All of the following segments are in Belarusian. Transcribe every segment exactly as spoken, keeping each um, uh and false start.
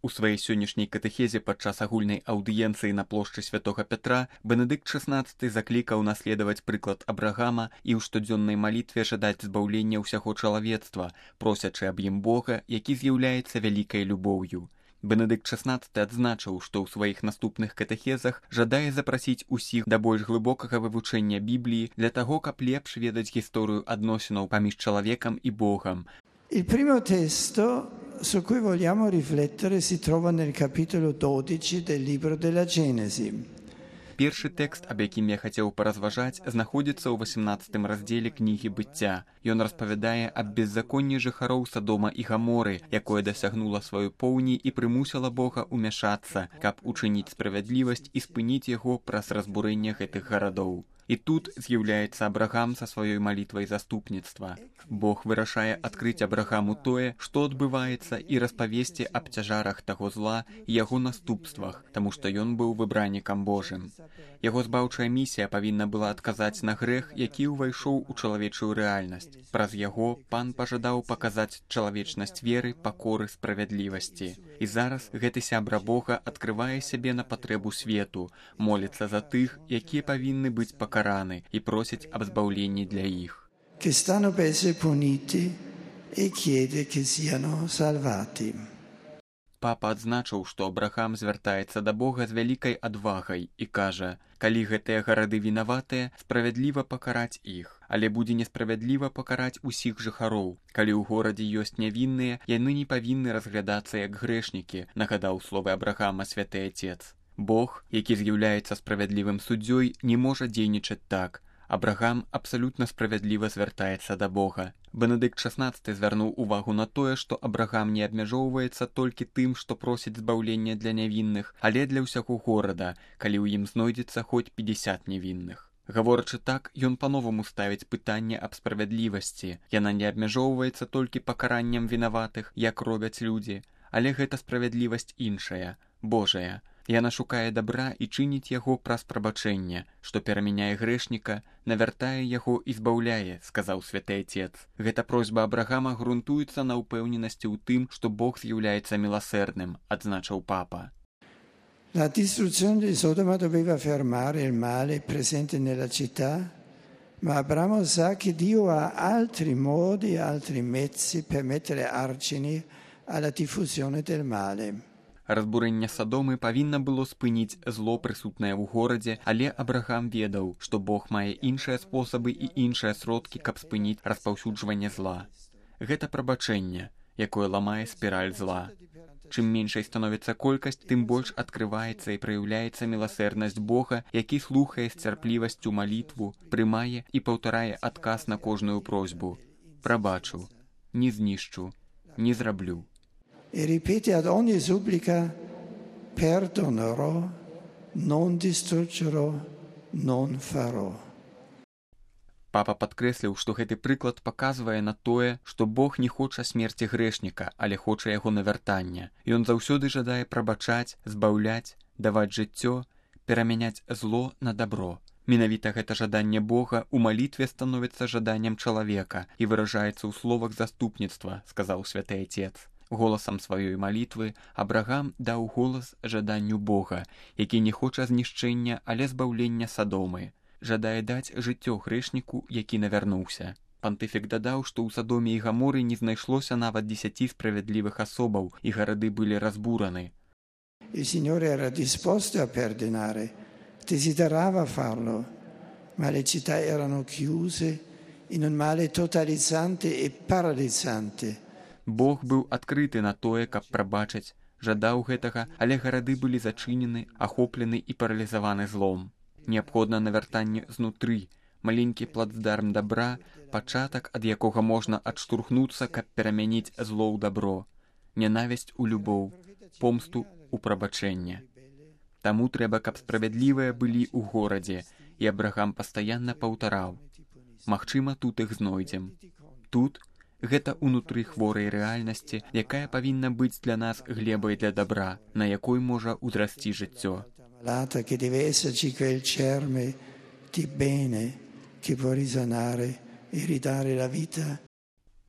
У сваёй сённяшняй катэхезе падчас агульнай аўдыенцыі на плошчы святога Пятра Бенедыкт шаснаццаты заклікаў наследаваць прыклад Абрагама і ў штодзённай малітве жадаць збаўлення ўсяго чалавецтва, просячы аб ім Бога, які з'яўляецца вялікай любоўю. Бенедыкт шаснаццаты адзначыў, што ў сваіх наступных катэхезах жадае запрасіць усіх да больш глыбокага вывучэння Бібліі для таго, каб лепш ведаць гісторыю адносінаў паміж чалавекам і Богам. Il primo testo su cui vogliamo riflettere si trova nel capitolo dodici del libro della Genesi. Першы тэкст, аб якім я хацеў паразважаць, знаходзіцца ў васямнаццатым раздзеле кнігі быцця. Ён распавядае аб беззаконні жыхароў Садома і Гаморы, якое дасягнула сваёй поўні і прымусіла Бога ўмяшацца, каб учыніць справядлівасць і спыніць яго праз разбурэнне гэтых гарадоў. І тут з'яўляецца Абрагам са сваёй малітвай заступніцтва. Бог вырашае адкрыць Абрагаму тое, што адбываецца, і распавесці аб цяжарах таго зла і яго наступствах, таму што ён быў выбраннікам Божым. Яго збаўчая місія павінна была адказаць на грэх, які ўвайшоў у чалавечую рэальнасць. Праз яго пан пажадаў паказаць чалавечнасць веры, пакоры, справядлівасці. І зараз гэты сябра Бога адкрывае сябе на патрэбу свету, моліцца за тых, якія павінны быць пакараны, і просіць аб збаўленні для іх. Che stanno per essere puniti e chiede che siano salvati. Папа адзначыў, што Абрагам звяртаецца да Бога з вялікай адвагай і кажа: калі гэтыя гарады вінаватыя, справядліва пакараць іх, але будзе несправядліва пакараць усіх жыхароў. Калі ў горадзе ёсць нявінныя, яны не павінны разглядацца як грэшнікі, нагадаў словы Абрагама святы Отец. Бог, які з'яўляецца справядлівым суддзёй, не можа дзейнічаць так. Абрагам абсалютна справядліва звяртаецца да Бога. Бенедыкт шаснаццаты звярнуў увагу на тое, што Абрагам не абмяжоўваецца толькі тым, што просіць збаўлення для нявінных, але для ўсяго горада, калі ў ім знойдзецца хоць пятьдесят невінных. Гаворачы так, ён па-новаму ставіць пытанне аб справядлівасці. Яна не абмяжоўваецца толькі пакараннем вінаватых, як робяць людзі, але гэта справядлівасць іншая, Божая. Яна шукае дабра і чыніць яго праз прабачэнне, што перамяняе грэшніка, навяртае яго і збаўляе, сказаў святы Отец. Гэта просьба Абрагама грунтуецца на ўпэўненасці ў тым, што Бог з'яўляецца міласэрным, адзначыў папа. La distruzione di Sodoma doveva fermare il male presente nella città, ma Abramo sa che Dio ha altri modi, altri mezzi per mettere argini alla diffusione del male. Разбурэнне Садомы павінна было спыніць зло, прысутнае ў горадзе, але Абрагам ведаў, што Бог мае іншыя спосабы і іншыя сродкі, каб спыніць распаўсюджванне зла. Гэта прабачэнне, якое ламае спіраль зла. Чым меншай становіцца колькасць, тым больш адкрываецца і праяўляецца міласэрнасць Бога, які слухае з цярплівасцю малітву, прымае і паўтарае адказ на кожную просьбу. Прабачу, не знішчу, не зраблю. E ripete ad ogni supplica: perdonerò, non distruggerò, non farò. Папа падкрэсліў, што гэты прыклад паказвае на тое, што Бог не хоча смерці грэшніка, але хоча яго навяртання. Ён заўсёды жадае прабачаць, збаўляць, даваць жыццё, перамяняць зло на дабро. Менавіта гэта жаданне Бога ў малітве становіцца жаданнем чалавека і выражаецца ў словах заступніцтва, сказаў святы Отец. Голасам сваёй малітвы Абрагам даў голас жаданню Бога, які не хоча знішчэння, але збаўлення Садомы. Жадае даць жыццё грэшніку, які навярнуўся. Пантыфік дадаў, што ў Садоме і Гаморы не знайшлося нават дзесяці справядлівых асобаў, і гарады былі разбураны. Il Signore era disposto a perdonare, desiderava farlo, ma le città erano chiuse in un male totalizzante e paralizzante. Бог быў адкрыты на тое, каб прабачыць, жадаў гэтага, але гарады былі зачынены, ахоплены і паралізаваны злом. Неабходна навяртанне знутры, маленькі плацдарм дабра, пачатак, ад якога можна адштурхнуцца, каб перамяніць зло ў дабро, нянавісць у любоў, помсту ў прабачэнне. Таму трэба, каб справядлівыя былі ў горадзе, і Абрагам пастаянна паўтараў: магчыма, тут іх знойдзем. Тут гэта ўнутры хворай рэальнасці, якая павінна быць для нас глебай для дабра, на якой можа ўзрасці жыццё. Che deve esserci quel germe di bene che può risanare e ridare la vita.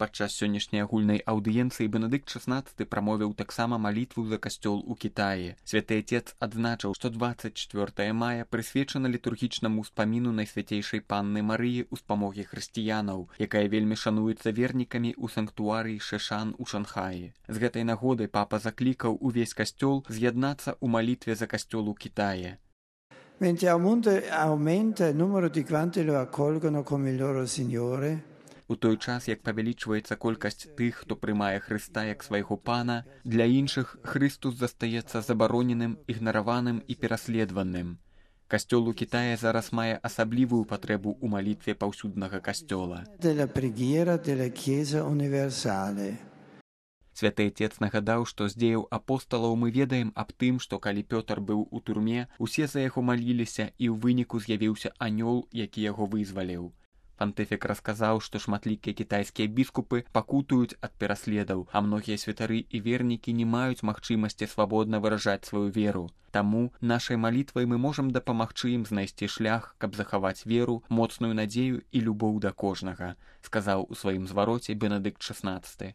Падчас сённяшняй агульнай аўдыенцыі Бенедыкт шаснаццаты прамовіў таксама малітву за касцёл у Кітаі. Святы Отец адзначыў, што дваццаць чвёртага мая прысвечана літургічнаму ўспаміну Найсвяцейшай Панны Марыі ў спамогі хрысціянаў, якая вельмі шануецца вернікамі ў санктуарыі Шэшан у Шанхаі. З гэтай нагоды папа заклікаў увесь касцёл з'яднацца ў малітве за касцёл у Кітаі. Mentre aumenta il numero di quanti lo accolgono come il loro Signore, у той час, як павялічваецца колькасць тых, хто прымае Хрыста як свайго пана, для іншых Хрыстус застаецца забароненым, ігнараваным і пераследаваным. Касцёл у Кітаі зараз мае асаблівую патрэбу ў малітве паўсюднага касцёла. della preghiera della Chiesa universale. Святы Отец нагадаў, што з дзеяў апосталаў мы ведаем аб тым, што калі Пётр быў у турме, усе за яго маліліся, і ў выніку з'явіўся анёл, які яго вызваліў. Пантыфік расказаў, што шматлікія кітайскія біскупы пакутуюць ад пераследаў, а многія святары і вернікі не маюць магчымасці свабодна выражаць сваю веру. Таму нашай малітвай мы можам дапамагчы ім знайсці шлях, каб захаваць веру, моцную надзею і любоў да кожнага, сказаў у сваім звароце Бенедыкт шаснаццаты.